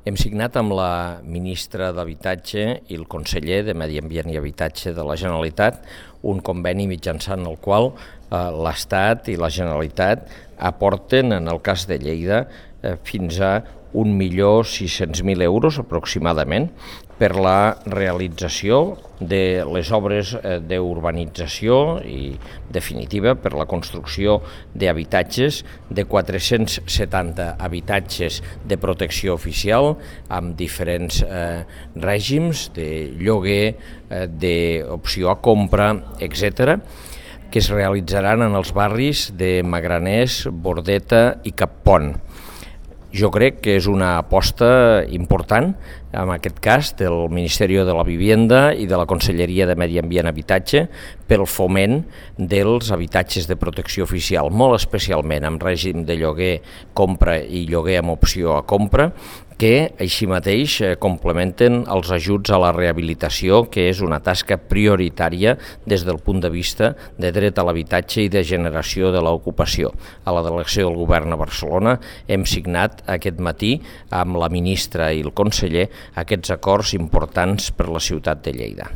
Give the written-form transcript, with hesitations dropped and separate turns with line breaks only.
Hem signat amb la ministra d'Habitatge i el conseller de Medi Ambient i Habitatge de la Generalitat un conveni mitjançant el qual l'Estat i la Generalitat aporten, en el cas de Lleida, fins a 1.600.000 euros aproximadament per la realització de les obres d'urbanització i definitiva per la construcció d'habitatges, de 470 habitatges de protecció oficial amb diferents règims de lloguer, d'opció a compra, etc., que es realitzaran en els barris de Magraners, Bordeta i Cappont. Jo crec que és una aposta important, en aquest cas, del Ministeri de la Vivienda i de la Conselleria de Medi Ambient i Habitatge pel foment dels habitatges de protecció oficial, molt especialment amb règim de lloguer, compra i lloguer amb opció a compra, que així mateix complementen els ajuts a la rehabilitació, que és una tasca prioritària des del punt de vista de dret a l'habitatge i de generació de l'ocupació. A la delegació del Govern a Barcelona hem signat aquest matí amb la ministra i el conseller aquests acords importants per la ciutat de Lleida.